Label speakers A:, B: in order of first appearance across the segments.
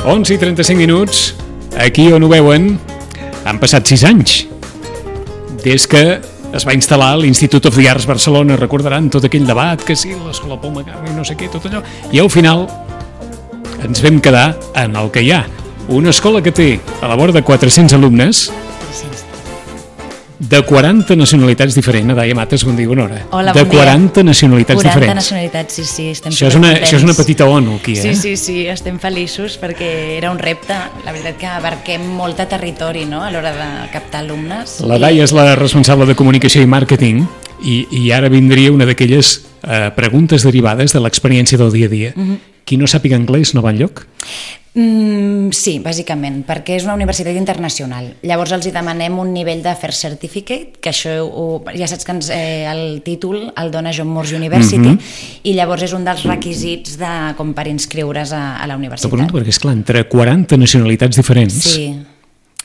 A: 11:35. Aquí on ho veuen, han passat 6 anys des que es va instal·lar l'Institut of the Arts Barcelona. Recordaran tot aquell debat, que sí, l'escola Pau Magà i no sé què, tot allò. I al final ens vam quedar en el que hi ha. Una escola que té a la vora de 400 alumnes, de 40 nacionalitats diferents. Daia Mates, bon dia, bona hora.
B: Hola,
A: de
B: bon dia.
A: 40 nacionalitats
B: 40
A: diferents.
B: nacionalitats, sí, estem
A: Això és una petita ONU, aquí, eh?
B: Sí, estem feliços perquè era un repte. La veritat que abarquem molt de territori, no?, a l'hora de captar alumnes.
A: La Daia és la responsable de comunicació i màrqueting i ara vindria una d'aquelles preguntes derivades de l'experiència del dia a dia. Qui no sàpiga anglès no va enlloc?
B: Sí, bàsicament, perquè és una universitat internacional. Llavors els hi demanem un nivell de First Certificate, que això ja saps que el títol el dona John Moores University, i llavors és un dels requisits com per inscriure's a la universitat.
A: T'ho pregunto perquè, esclar, entre 40 nacionalitats diferents...
B: Sí.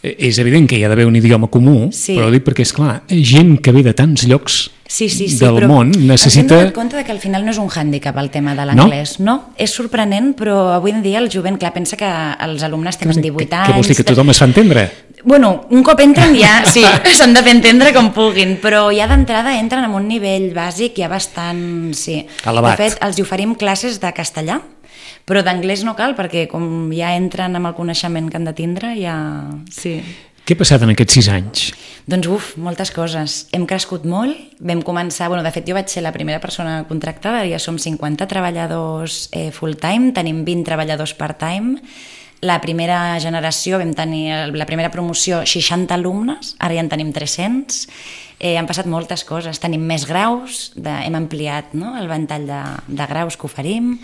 A: És evident que hi ha d'haver un idioma comú, però dic perquè, esclar, gent que ve de tants llocs del món necessita...
B: Ens hem donat compte que al final no és un hàndicap el tema de l'anglès, no? És sorprenent, però avui en dia el jovent, clar, pensa que els alumnes tenen 18 anys...
A: Què vols dir, que tothom es fa entendre?
B: Bueno, un cop entren ja, sí, s'han de fer entendre com puguin, però ja d'entrada entren amb un nivell bàsic ja bastant, sí.
A: Elevat.
B: De fet, els oferim classes de castellà, però d'anglès no cal, perquè com ja entren amb el coneixement que han de tindre, ja... Sí.
A: Què ha passat en aquests 6 anys?
B: Doncs, moltes coses. Hem crescut molt, vam començar... de fet, jo vaig ser la primera persona contractada, ja som 50 treballadors full-time, tenim 20 treballadors part-time. La primera generació, vam tenir la primera promoció 60 alumnes, ara ja en tenim 300. Han passat moltes coses, tenim més graus, hem ampliat el ventall de graus que oferim.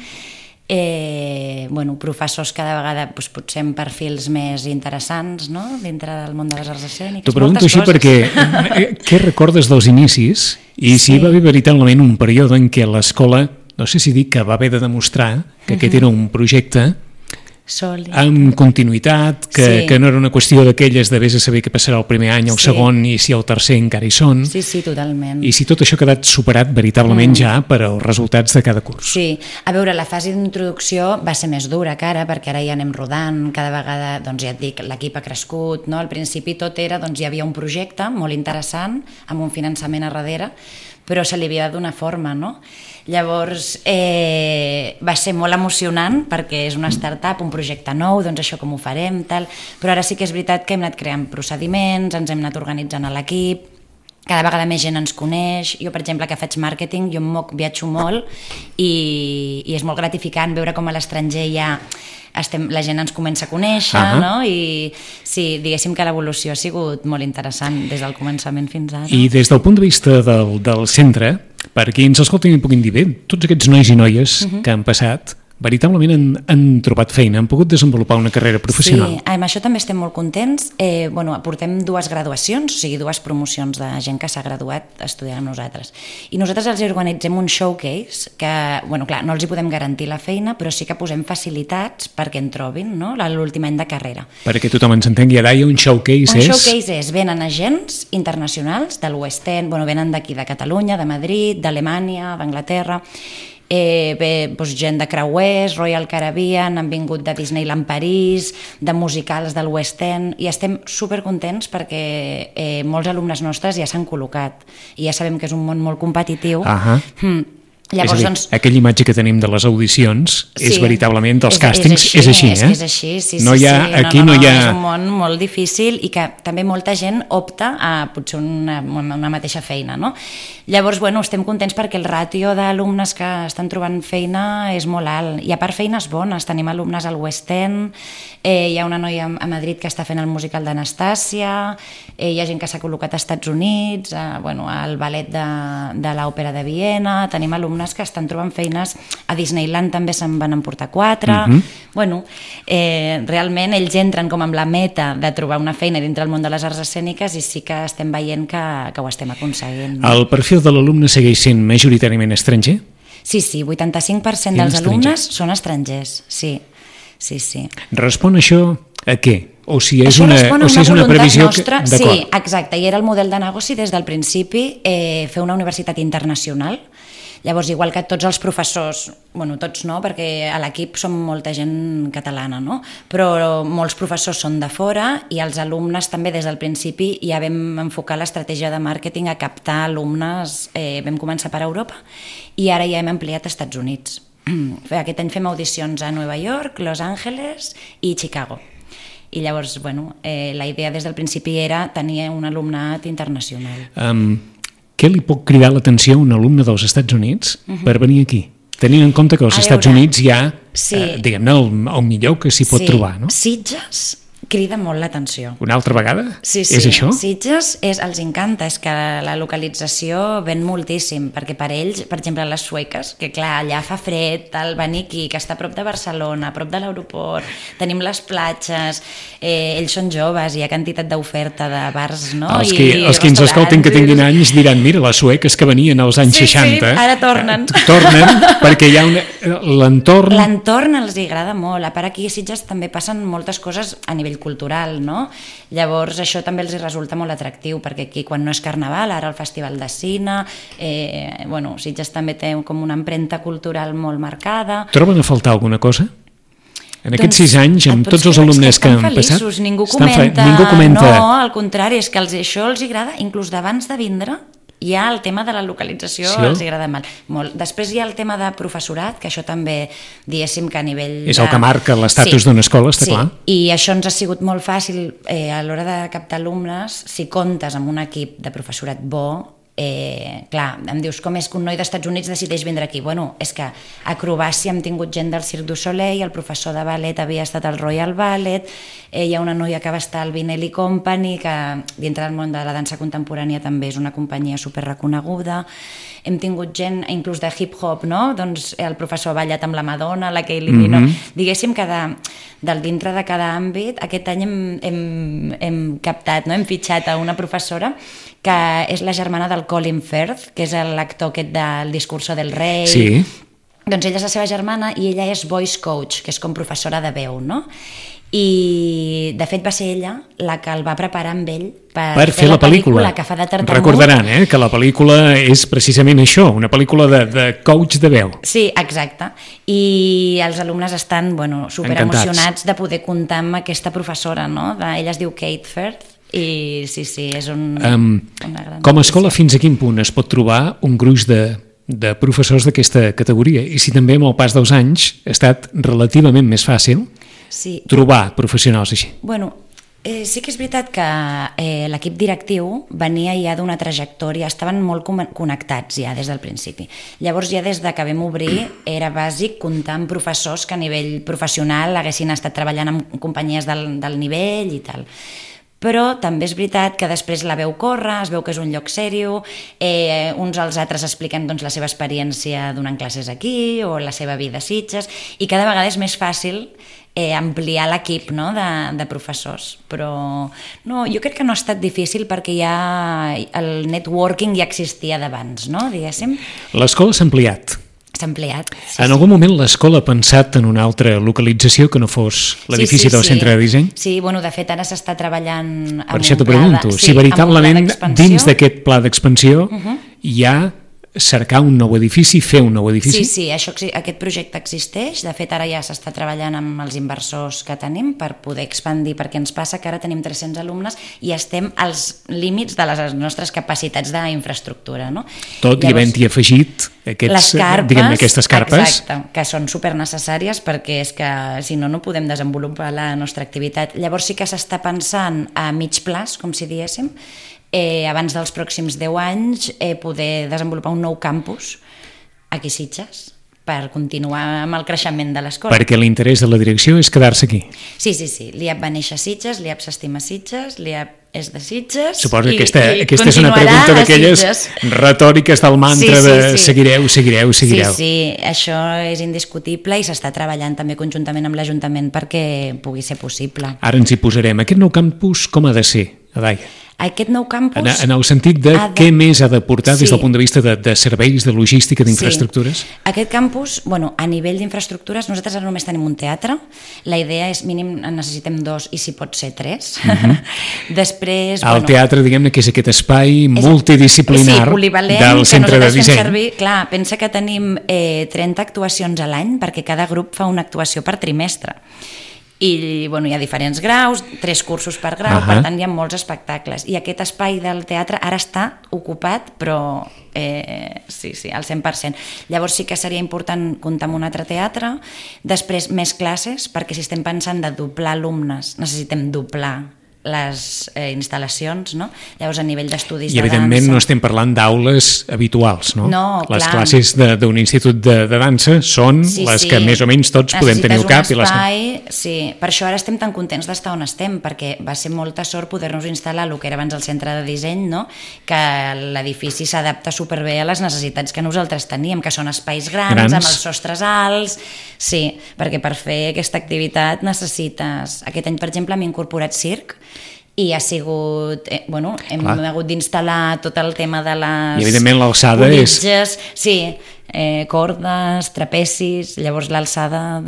B: Professors cada vegada potser amb perfils més interessants, no?, dintre del món de les arts escèniques.
A: T'ho pregunto així perquè què recordes dels inicis i si hi va haver veritablement un període en què l'escola, no sé si dic que va haver de demostrar que aquest era un projecte amb continuïtat, que no era una qüestió d'aquelles de vés a saber què passarà el primer any, el segon, i si el tercer encara hi són.
B: Sí, totalment.
A: I si tot això ha quedat superat veritablement ja per als resultats de cada curs.
B: Sí, a veure, la fase d'introducció va ser més dura que ara, perquè ara ja anem rodant, cada vegada, doncs ja et dic, l'equip ha crescut, no? Al principi tot era, doncs hi havia un projecte molt interessant, amb un finançament a darrere, però se li havia de donar forma, no? Llavors va ser molt emocionant perquè és una startup, un projecte nou, doncs això com ho farem, tal, però ara sí que és veritat que hem anat creant procediments, ens hem anat organitzant a l'equip, cada vegada més gent ens coneix. Jo, per exemple, que faig màrqueting, jo viatjo molt i és molt gratificant veure com a l'estranger ja la gent ens comença a conèixer, no? I sí, diguéssim que l'evolució ha sigut molt interessant des del començament fins ara.
A: I des del punt de vista del centre, per qui ens escoltin i puguin dir bé, tots aquests nois i noies que han passat veritablement han trobat feina, han pogut desenvolupar una carrera professional.
B: Sí, amb això també estem molt contents. Portem 2 graduacions, o sigui, 2 promocions de gent que s'ha graduat estudiant amb nosaltres. I nosaltres els organitzem un showcase que, clar, no els hi podem garantir la feina, però sí que posem facilitats perquè en trobin, no?, l'últim any de carrera.
A: Perquè tothom ens entengui, Daia, un showcase és...
B: Un showcase és, venen agents internacionals de l'West End, venen d'aquí, de Catalunya, de Madrid, d'Alemanya, d'Anglaterra, gent de creuers, Royal Caribbean, han vingut de Disneyland París, de musicals del West End, i estem supercontents perquè molts alumnes nostres ja s'han col·locat i ja sabem que és un món molt competitiu.
A: Llavors, és a dir, aquella imatge que tenim de les audicions és veritablement dels càstings, és així, eh?
B: És així, sí.
A: Aquí no hi ha...
B: És un món molt difícil i que també molta gent opta a potser una mateixa feina, no? Llavors, estem contents perquè el ràtio d'alumnes que estan trobant feina és molt alt. I a part feines bones, tenim alumnes al West End, hi ha una noia a Madrid que està fent el musical d'Anastàcia, hi ha gent que s'ha col·locat als Estats Units, al ballet de l'Òpera de Viena, tenim alumnes que estan trobant feines a Disneyland, també se'n van emportar 4. Realment ells entren com amb la meta de trobar una feina dintre el món de les arts escèniques i sí que estem veient que ho estem aconseguint.
A: El perfil de l'alumne segueix sent majoritàriament estranger?
B: Sí, 85% dels alumnes són estrangers, sí.
A: Respon això a què? O si és una previsió...
B: Sí, exacte, i era el model de negoci des del principi, fer una universitat internacional. Llavors, igual que tots els professors, bueno, tots no, perquè a l'equip som molta gent catalana, no? Però molts professors són de fora i els alumnes també des del principi ja vam enfocar l'estratègia de màrqueting a captar alumnes, vam començar per Europa i ara ja hem ampliat a Estats Units. Aquest any fem audicions a Nova York, Los Angeles i Chicago. I llavors, bueno, la idea des del principi era tenir un alumnat internacional.
A: Què li pot cridar l'atenció a un alumne dels Estats Units per venir aquí? Tenint en compte que als Estats Units hi ha, diguem-ne, el millor que s'hi pot trobar, no?
B: Sitges crida molt l'atenció.
A: Una altra vegada?
B: Sí.
A: És això?
B: Sitges els encanta, és que la localització ven moltíssim, perquè per ells, per exemple, les sueques, que clar, allà fa fred, el venir aquí, que està a prop de Barcelona, a prop de l'aeroport, tenim les platges, ells són joves, hi ha quantitat d'oferta de bars, no?
A: Els que ens escolten que tinguin anys diran, mira, les sueques que venien als anys 60...
B: Sí, ara tornen.
A: Tornen, perquè hi ha l'entorn...
B: L'entorn els agrada molt. A part, aquí a Sitges també passen moltes coses a nivell cultural, no? Llavors això també els resulta molt atractiu, perquè aquí quan no és carnaval, ara el festival de cine, bueno, Sitges també té com una empremta cultural molt marcada.
A: Troben a faltar alguna cosa? En aquests 6 anys, amb tots els alumnes que han passat...
B: Ningú comenta. No, al contrari, és que això els agrada, inclús d'abans de vindre, hi ha el tema de la localització, sí, els agrada molt. Després hi ha el tema de professorat, que això també, diguéssim que a nivell...
A: És el que marca l'estatus d'una escola, està clar.
B: I això ens ha sigut molt fàcil a l'hora de captar alumnes, si comptes amb un equip de professorat bo, clar, em dius com és que un noi d'Estats Units decideix vindre aquí? Bueno, és que a acrobàcia hem tingut gent del Cirque du Soleil, el professor de ballet havia estat al Royal Ballet, hi ha una noia que va estar al Vinelli Company, que dintre del món de la dansa contemporània també és una companyia superreconeguda. Hem tingut gent inclús de hip-hop, no? Doncs el professor ha ballat amb la Madonna, la Kylie Minogue, diguéssim que del dintre de cada àmbit, aquest any hem captat, no? Hem fitxat a una professora que és la germana del Colin Firth, que és l'actor aquest del Discurso del Rei.
A: Sí.
B: Doncs ella és la seva germana i ella és voice coach, que és com professora de veu, no? I de fet va ser ella la que el va preparar amb ell per fer la pel·lícula que fa de tartamut.
A: Recordaran que la pel·lícula és precisament això, una pel·lícula de coach de veu.
B: Sí, exacte. I els alumnes estan superemocionats de poder comptar amb aquesta professora, no? Ella es diu Kate Firth. I sí, és una gran
A: com a escola, fins a quin punt es pot trobar un gruix de professors d'aquesta categoria? I si també amb el pas dels anys ha estat relativament més fàcil trobar professionals així?
B: Bueno, sí que és veritat que l'equip directiu venia ja d'una trajectòria, estaven molt connectats ja des del principi. Llavors ja des de que vam obrir era bàsic comptar amb professors que a nivell professional haguessin estat treballant en companyies del nivell i tal. Però també és veritat que després la veu córrer, es veu que és un lloc sèrio, uns als altres expliquen la seva experiència donant classes aquí o la seva vida a Sitges, i cada vegada és més fàcil ampliar l'equip de professors. Però no, jo crec que no ha estat difícil perquè ja el networking ja existia d'abans, no? Diguéssim.
A: L'escola s'ha ampliat.
B: S'ha ampliat.
A: En algun moment l'escola ha pensat en una altra localització que no fos l'edifici del centre de disseny?
B: Sí, de fet ara s'està treballant amb un pla
A: d'expansió. Per això t'ho pregunto, si veritablement dins d'aquest pla d'expansió hi ha cercar un nou edifici, fer un nou edifici?
B: Sí, aquest projecte existeix. De fet, ara ja s'està treballant amb els inversors que tenim per poder expandir, perquè ens passa que ara tenim 300 alumnes i estem als límits de les nostres capacitats d'infraestructura, no?
A: Tot i havent-hi afegit aquestes carpes.
B: Exacte, que són supernecessàries perquè és que si no, no podem desenvolupar la nostra activitat. Llavors sí que s'està pensant a mig plaç, com si diéssim, abans dels pròxims 10 anys poder desenvolupar un nou campus aquí a Sitges per continuar amb el creixement de l'escola.
A: Perquè l'interès de la direcció és quedar-se aquí.
B: Sí. L'IAP va néixer a Sitges, l'IAP s'estima a Sitges, l'IAP és de Sitges.
A: Suposo que aquesta és una pregunta d'aquelles retòriques del mantra de seguireu.
B: Sí, això és indiscutible i s'està treballant també conjuntament amb l'Ajuntament perquè pugui ser possible.
A: Ara ens hi posarem. Aquest nou campus com ha de ser, Adaia?
B: Aquest nou campus...
A: En el sentit de què més ha d'aportar des del punt de vista de serveis, de logística, d'infraestructures?
B: Sí. Aquest campus, a nivell d'infraestructures, nosaltres ara només tenim un teatre. La idea és mínim necessitem 2 i si pot ser 3. Després...
A: El teatre, diguem-ne, que és aquest espai multidisciplinar del centre de disseny.
B: Clar, pensa que tenim 30 actuacions a l'any perquè cada grup fa una actuació per trimestre. I hi ha diferents graus, 3 cursos per grau, per tant hi ha molts espectacles. I aquest espai del teatre ara està ocupat, però sí, al 100%. Llavors sí que seria important comptar amb un altre teatre, després més classes, perquè si estem pensant de doblar alumnes, necessitem doblar les instal·lacions, no? Llavors a nivell d'estudis de dansa... I
A: evidentment no estem parlant d'aules habituals, no?
B: No,
A: les classes d'un institut de dansa són les que més o menys tots podem tenir al cap.
B: Necessites un espai, sí. Per això ara estem tan contents d'estar on estem, perquè va ser molta sort poder-nos instal·lar el que era abans el centre de disseny, no? Que l'edifici s'adapta superbé a les necessitats que nosaltres teníem, que són espais grans, amb els sostres alts... Sí, perquè per fer aquesta activitat necessites... Aquest any, per exemple, hem incorporat circ, i ha sigut, hem hagut d'instal·lar tot el tema de les...
A: I evidentment l'alçada
B: politges, sí, cordes, trapecis, llavors l'alçada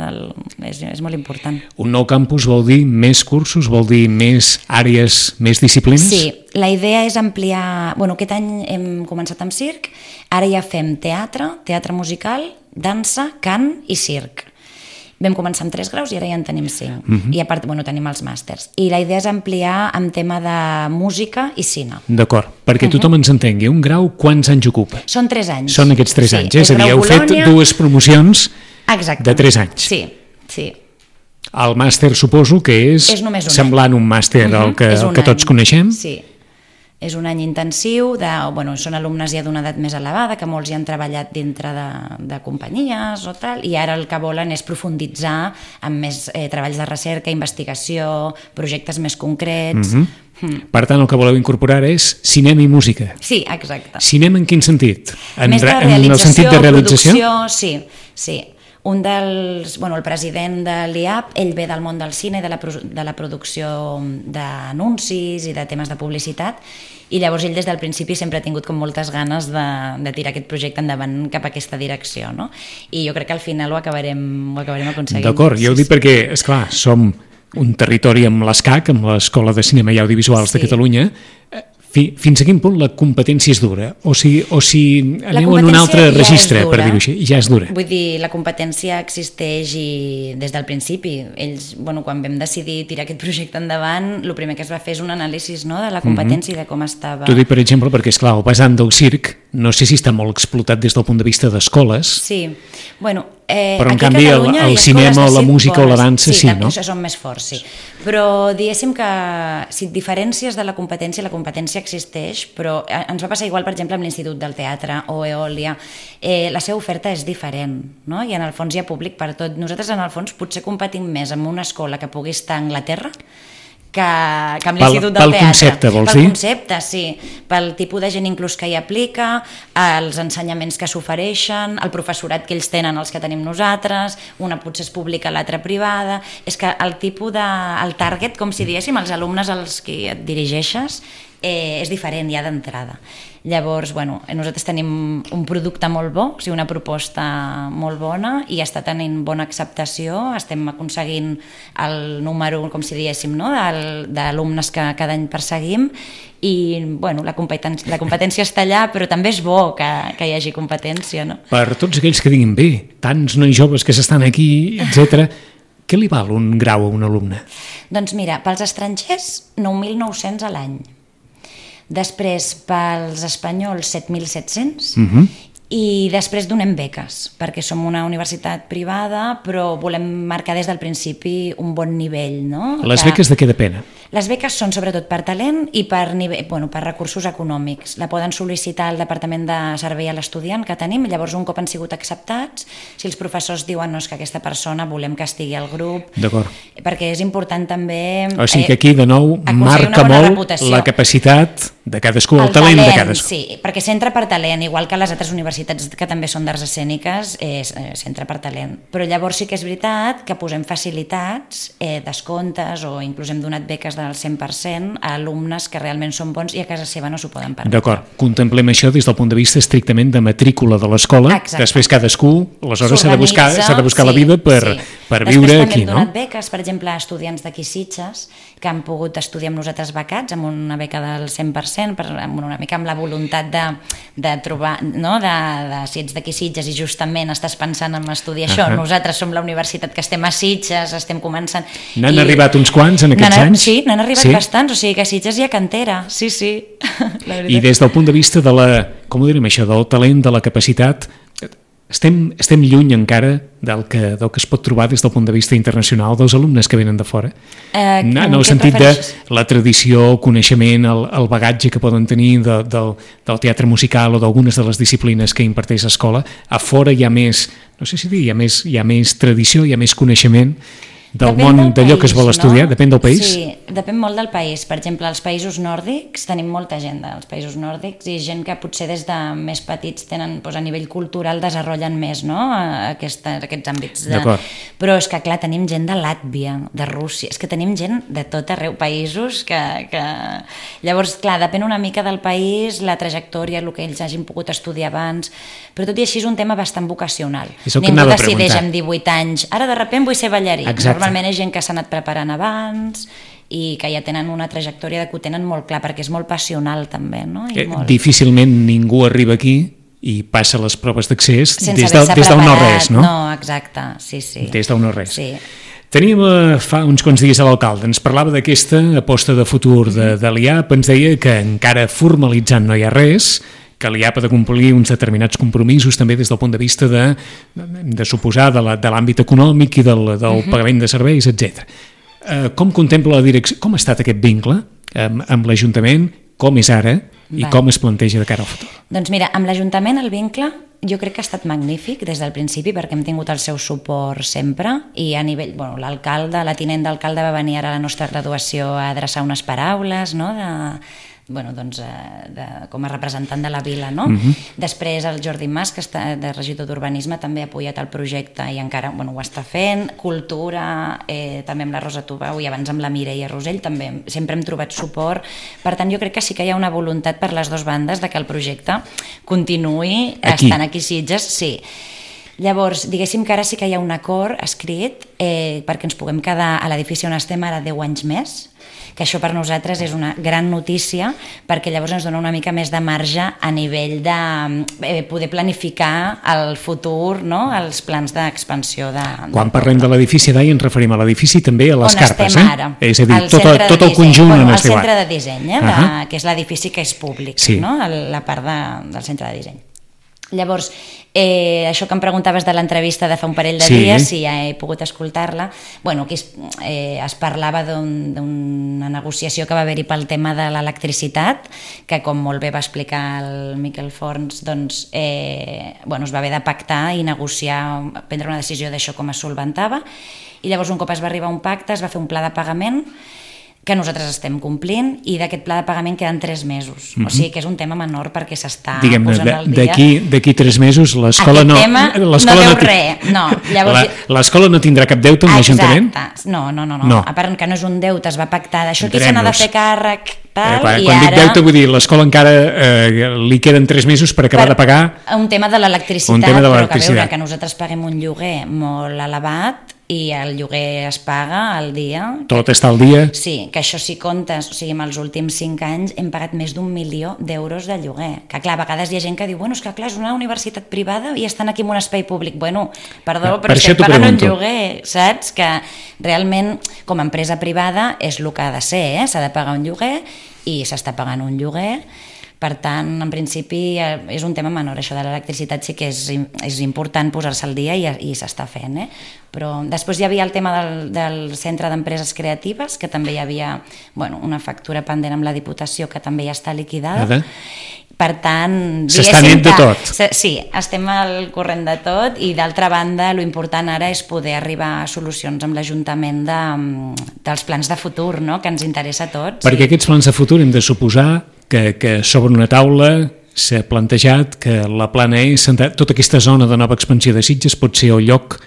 B: és molt important.
A: Un nou campus vol dir més cursos, vol dir més àrees, més disciplines?
B: Sí, la idea és ampliar... Aquest any hem començat amb circ, ara ja fem teatre musical, dansa, cant i circ. Vam començar amb 3 graus i ara ja en tenim 5. I a part, tenim els màsters. I la idea és ampliar en tema de música i cine.
A: D'acord, perquè tothom ens entengui. Un grau, quants anys ocupa?
B: Són 3 anys.
A: Són aquests 3 anys. És a dir, heu fet 2 promocions de 3 anys.
B: Sí.
A: El màster suposo que és semblant un màster al que tots coneixem.
B: Sí. És un any intensiu, són alumnes ja d'una edat més elevada, que molts ja han treballat dintre de companyies o tal, i ara el que volen és profunditzar en més treballs de recerca, investigació, projectes més concrets...
A: Per tant, el que voleu incorporar és cinema i música.
B: Sí, exacte.
A: Cinema en quin sentit?
B: Més de realització, producció, sí. Un dels... el president de l'IAP, ell ve del món del cine i de la producció d'anuncis i de temes de publicitat, i llavors ell des del principi sempre ha tingut com moltes ganes de tirar aquest projecte endavant cap a aquesta direcció, no? I jo crec que al final ho acabarem aconseguint.
A: D'acord, jo ho dic perquè, esclar, som un territori amb l'ESCAC, amb l'Escola de Cinema i Audiovisuals de Catalunya. Fins a quin punt la competència és dura? O si aneu en un altre registre, per dir-ho així, ja és dura.
B: Vull dir, la competència existeix des del principi. Ells, quan vam decidir tirar aquest projecte endavant, el primer que es va fer és un anàlisi de la competència i de com estava...
A: T'ho dic, per exemple, perquè, esclar, el vessant del circ, no sé si està molt explotat des del punt de vista d'escoles.
B: Sí,
A: però en canvi el cinema, la música o la dansa sí, no?
B: Sí, són més forts, sí. Però diguéssim que si et diferències de la competència existeix, però ens va passar igual, per exemple, amb l'Institut del Teatre o Eòlia. La seva oferta és diferent, no? I en el fons hi ha públic per tot. Nosaltres, en el fons, potser competim més amb una escola que pugui estar a Anglaterra que amb l'Institut del Teatre.
A: Pel concepte, vols dir?
B: Pel concepte, sí. Pel tipus de gent inclús que hi aplica, els ensenyaments que s'ofereixen, el professorat que ells tenen, els que tenim nosaltres, una potser és pública, l'altra privada... És que el tipus el target, com si diguéssim, els alumnes als que et dirigeixes, és diferent ja d'entrada. Llavors, nosaltres tenim un producte molt bo, una proposta molt bona i està tenint bona acceptació, estem aconseguint el número, com si diguéssim, no? d'alumnes que cada any perseguim i la competència està allà, però també és bo que hi hagi competència. No?
A: Per tots aquells que diguin bé, tants nois joves que s'estan aquí, etc., què li val un grau a un alumne?
B: Doncs mira, pels estrangers 9.900 a l'any. Després, pels espanyols, 7.700, i després donem beques, perquè som una universitat privada, però volem marcar des del principi un bon nivell. No?
A: Les beques de què depenen?
B: Les beques són sobretot per talent i per recursos econòmics. La poden sol·licitar al Departament de Servei a l'Estudiant que tenim, llavors un cop han sigut acceptats, si els professors diuen no, és que aquesta persona volem que estigui al grup, perquè és important també...
A: O sigui que aquí, de nou, marca molt la capacitat de cadascú, el talent de cadascú.
B: Sí, perquè s'entra per talent, igual que les altres universitats que també són d'arts escèniques, s'entra per talent. Però llavors sí que és veritat que posem facilitats, descomptes o inclús hem donat beques de del 100% a alumnes que realment són bons i a casa seva no s'ho poden permetre.
A: D'acord, contemplem això des del punt de vista estrictament de matrícula de l'escola. Després cadascú, aleshores s'ha de buscar la vida per viure aquí, no?
B: Després també hem donat beques, per exemple, a estudiants d'aquí Sitges que han pogut estudiar amb nosaltres becats, amb una beca del 100%, una mica amb la voluntat de trobar, no? Si ets d'aquí Sitges i justament estàs pensant en estudiar això, nosaltres som la universitat que estem a Sitges, estem començant...
A: N'han arribat uns quants en aquests anys?
B: Sí, n'han arribat bastants, o sigui que a Sitges hi ha cantera, sí.
A: I des del punt de vista de la, com ho direm això, del talent, de la capacitat, estem lluny encara del que es pot trobar des del punt de vista internacional dels alumnes que venen de fora? En el sentit de la tradició, el coneixement, el bagatge que poden tenir del teatre musical o d'algunes de les disciplines que imparteix l'escola, a fora hi ha més, no sé si dir, hi ha més tradició, hi ha més coneixement del món d'allò que es vol estudiar, depèn del país?
B: Sí, depèn molt del país. Per exemple, als països nòrdics tenim molta gent dels països nòrdics i gent que potser des de més petits tenen, doncs, a nivell cultural desenvolupen més, no? Aquests àmbits. Però és que, clar, tenim gent de Làtvia, de Rússia, és que tenim gent de tot arreu, països que... Llavors, clar, depèn una mica del país, la trajectòria, el que ells hagin pogut estudiar abans, però tot i així és un tema bastant vocacional. Ningú decideix amb 18 anys, ara de sobte vull ser ballarí. Normalment és gent que s'ha anat preparant abans i que ja tenen una trajectòria que ho tenen molt clar, perquè és molt passional també, no?
A: Difícilment ningú arriba aquí i passa les proves d'accés des del no-res, no?
B: No, exacte, sí.
A: Des del no-res.
B: Sí.
A: Teníem fa uns quants dies a l'alcalde, ens parlava d'aquesta aposta de futur de l'IAP, ens deia que encara formalitzant no hi ha res, que l'IAP ha de complir uns determinats compromisos també des del punt de vista de suposar de l'àmbit econòmic i del pagament de serveis, etc. Com contempla la direcció, com ha estat aquest vincle amb l'Ajuntament, com és ara i com es planteja de cara al futur?
B: Doncs mira, amb l'Ajuntament el vincle jo crec que ha estat magnífic des del principi perquè hem tingut el seu suport sempre i a nivell, l'alcalde, la tinent d'alcalde va venir ara a la nostra graduació a adreçar unes paraules, no?, com a representant de la vila, no? Després el Jordi Mas, que està de regidor d'Urbanisme, també ha apoyat el projecte i encara ho està fent. Cultura, també amb la Rosa Tubau i abans amb la Mireia Rosell, també sempre hem trobat suport. Per tant, jo crec que sí que hi ha una voluntat per les dues bandes de que el projecte continuï estant aquí a Sitges, sí. Llavors, diguéssim que ara sí que hi ha un acord escrit perquè ens puguem quedar a l'edifici on estem ara 10 anys més, que això per nosaltres és una gran notícia perquè llavors ens dona una mica més de marge a nivell de poder planificar el futur, no?, els plans d'expansió.
A: Quan parlem de l'edifici d'ahir ens referim a l'edifici també a les carpes,
B: ara.
A: És a dir, tot el conjunt on
B: estem ara. El centre de disseny, que és l'edifici que és públic, no?, la part del centre de disseny. Llavors, això que em preguntaves de l'entrevista de fa un parell de dies, si ja he pogut escoltar-la, aquí es parlava d'una negociació que va haver-hi pel tema de l'electricitat, que com molt bé va explicar el Miquel Forns, doncs es va haver de pactar i negociar, prendre una decisió d'això com es solventava, i llavors un cop es va arribar a un pacte es va fer un pla de pagament que nosaltres estem complint i d'aquest pla de pagament queden 3 mesos. O sigui que és un tema menor perquè s'està posant al dia.
A: D'aquí 3 mesos l'escola no...
B: Aquest tema no deu res.
A: L'escola no tindrà cap deute amb l'Ajuntament?
B: Exacte. No. A part que no és un deute, es va pactar d'això que se n'ha de fer càrrec,
A: Quan dic deute vull dir l'escola encara li queden 3 mesos per acabar de pagar...
B: Un tema de l'electricitat, però que veure que nosaltres paguem un lloguer molt elevat i el lloguer es paga al dia.
A: Tot està al dia?
B: Sí, que això si comptes, o sigui, en els últims 5 anys hem pagat més d'1 milió d'euros de lloguer. Que clar, a vegades hi ha gent que diu, és que clar, és una universitat privada i estan aquí en un espai públic. Perdó, però estem pagant un lloguer, saps? Que realment, com a empresa privada, és el que ha de ser, s'ha de pagar un lloguer i s'està pagant un lloguer. Per tant, en principi, és un tema menor. Això de l'electricitat sí que és important posar-se al dia i s'està fent. Però després hi havia el tema del Centre d'Empreses Creatives, que també hi havia una factura pendent amb la Diputació que també ja està liquidada. Per tant,
A: s'està net de tot.
B: Sí, estem al corrent de tot i d'altra banda, l'important ara és poder arribar a solucions amb l'Ajuntament dels plans de futur, que ens interessa a tots.
A: Perquè aquests plans de futur hem de suposar que sobre una taula s'ha plantejat que la plana tota aquesta zona de nova expansió de Sitges pot ser el lloc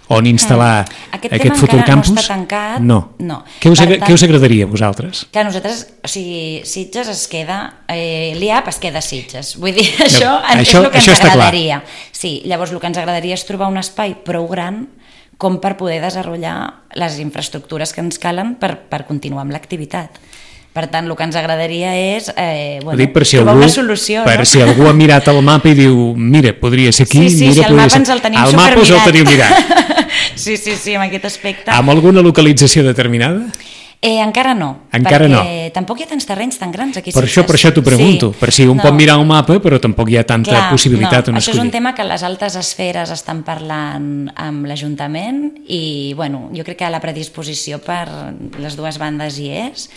A: on instal·lar aquest futur campus?
B: No està tancat.
A: No. Què us agradaria a vosaltres?
B: Que a nosaltres, o sigui, Sitges es queda, l'IAP es queda a Sitges. Vull dir, això és el que ens agradaria. Sí, llavors el que ens agradaria és trobar un espai prou gran com per poder desenvolupar les infraestructures que ens calen per continuar amb l'activitat. Per tant, el que ens agradaria és trobar una solució.
A: Per si algú ha mirat el mapa i diu, mira, podria ser aquí.
B: Sí, el mapa ens el tenim supermirat.
A: El mapa us el teniu mirat.
B: Sí, en aquest aspecte.
A: Amb alguna localització determinada?
B: Encara no. Perquè tampoc hi ha tants terrenys tan grans aquí.
A: Per això t'ho pregunto, per si un pot mirar un mapa, però tampoc hi ha tanta possibilitat on escollir.
B: Això és un tema que les altes esferes estan parlant amb l'Ajuntament i, jo crec que la predisposició per les dues bandes hi és,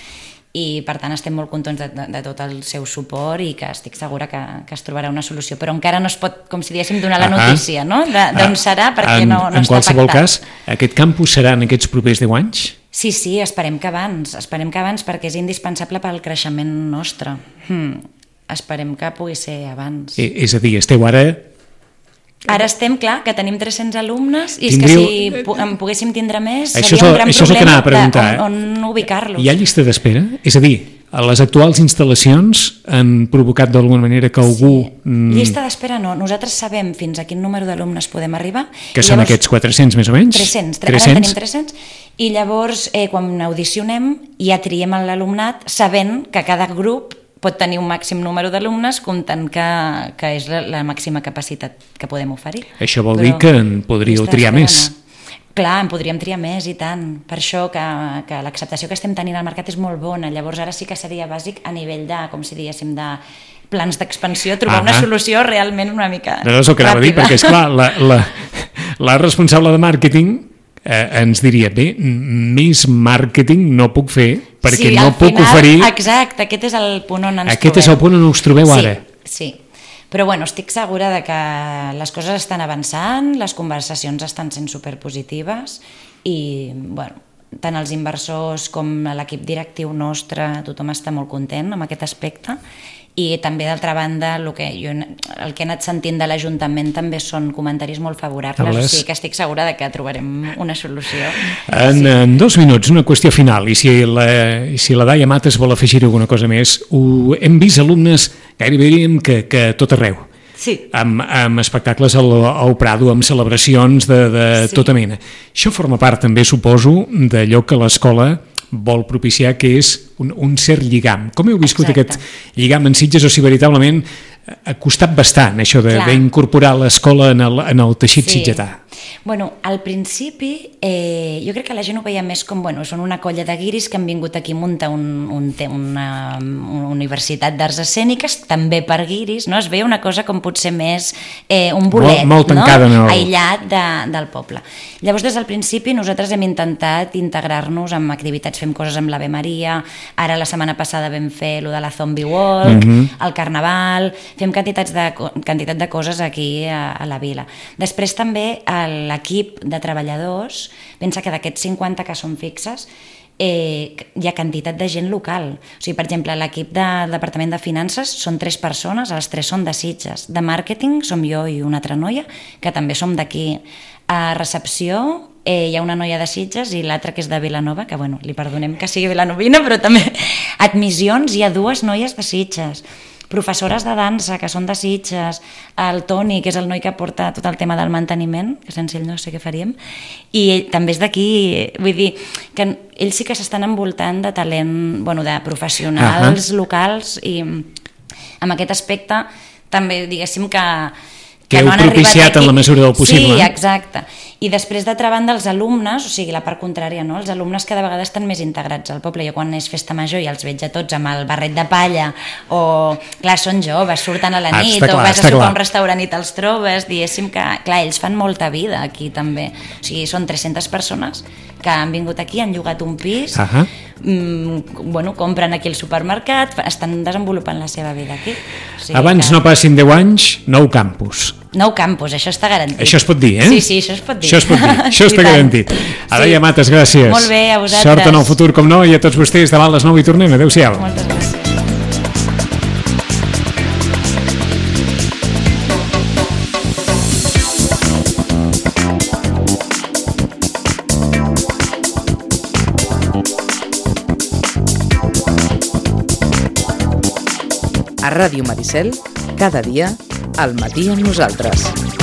B: i per tant estem molt contents de tot el seu suport i que estic segura que es trobarà una solució, però encara no es pot, com si diguéssim, donar la notícia, no? D'on serà, perquè no està pactat.
A: En qualsevol cas, aquest campus serà en aquests propers 10 anys?
B: Sí, esperem que abans perquè és indispensable pel creixement nostre. Esperem que pugui ser abans.
A: És a dir, esteu ara...
B: Ara estem, clar, que tenim 300 alumnes i és que si en poguéssim tindre més seria un gran problema on ubicar-los.
A: Hi ha llista d'espera? És a dir, les actuals instal·lacions han provocat d'alguna manera que algú...
B: Llista d'espera no. Nosaltres sabem fins a quin número d'alumnes podem arribar.
A: Que són aquests 400 més o menys?
B: 300. Ara en tenim 300. I llavors, quan audicionem, ja triem l'alumnat sabent que cada grup pot tenir un màxim número d'alumnes comptant que és la màxima capacitat que podem oferir.
A: Això vol dir que en podríeu triar més.
B: Clar, en podríem triar més i tant. Per això que l'acceptació que estem tenint al mercat és molt bona. Llavors ara sí que seria bàsic a nivell de, com si diguéssim, de plans d'expansió, trobar una solució realment una mica ràpida.
A: No és el que anava a dir, perquè esclar, la responsable de màrqueting ens diria, bé, més màrqueting no puc fer perquè no puc oferir...
B: Exacte, aquest és el punt on ens trobem.
A: Aquest és el punt on us trobeu ara.
B: Sí, però estic segura de que les coses estan avançant, les conversacions estan sent superpositives i, tant els inversors com l'equip directiu nostre, tothom està molt content amb aquest aspecte. I també, d'altra banda, el que he anat sentint de l'Ajuntament també són comentaris molt favorables, o sigui que estic segura de que trobarem una solució.
A: En 2 minuts, una qüestió final, i si la Daia Mates vol afegir alguna cosa més, hem vist alumnes gairebé diríem que tot arreu.
B: Sí.
A: Amb espectacles al Prado, amb celebracions de tota mena. Això forma part també, suposo, d'allò que l'escola vol propiciar, que és un cert lligam. Com heu viscut aquest lligam en Sitges, o si veritablement ha costat bastant això d'incorporar l'escola en el teixit sitgetà?
B: Al principi jo crec que la gent ho veia més com, són una colla de guiris que han vingut aquí a muntar una universitat d'arts escèniques, també per guiris, no? Es veia una cosa com potser més un bolet,
A: molt tancada,
B: aïllat del poble. Llavors, des del principi, nosaltres hem intentat integrar-nos amb activitats, fem coses amb l'Ave Maria, ara la setmana passada vam fer lo de la Zombie Walk, el Carnaval, fem quantitat de coses aquí a la vila. Després també l'equip de treballadors, pensa que d'aquests 50 que són fixes, hi ha quantitat de gent local. O sigui, per exemple, l'equip del Departament de Finances són 3 persones, les 3 són de Sitges. De màrqueting som jo i una altra noia, que també som d'aquí. A recepció hi ha una noia de Sitges i l'altra que és de Vilanova, que li perdonem que sigui vilanovina, però també admissions hi ha 2 noies de Sitges. Professores de dansa, que són de Sitges, el Toni, que és el noi que porta tot el tema del manteniment, que sense ell no sé què faríem, i ell també és d'aquí, vull dir, que ells sí que s'estan envoltant de talent, de professionals locals, i amb aquest aspecte també diguéssim que
A: heu propiciat en la mesura del possible.
B: Sí, exacte. I després, d'altra banda, els alumnes, o sigui, la part contrària, no? Els alumnes cada vegada estan més integrats al poble. Jo quan és festa major i els veig a tots amb el barret de palla, o, clar, són joves, surten a la nit, o vas a sopar a un restaurant i te'ls trobes, diguéssim que, clar, ells fan molta vida aquí també. O sigui, són 300 persones que han vingut aquí, han llogat un pis, compren aquí al supermercat, estan desenvolupant la seva vida aquí.
A: Abans no passin 10 anys, nou campus.
B: Nou campus, això està garantit.
A: Això es pot dir, eh?
B: Sí, això es pot dir.
A: Això està garantit. Daia Mates, gràcies.
B: Molt bé, a vosaltres.
A: Sort en el futur, com no, i a tots vostès davant les 9 i tornem. Adéu-siau.
B: Moltes gràcies.
C: A Ràdio Maricel, cada dia, al matí amb nosaltres.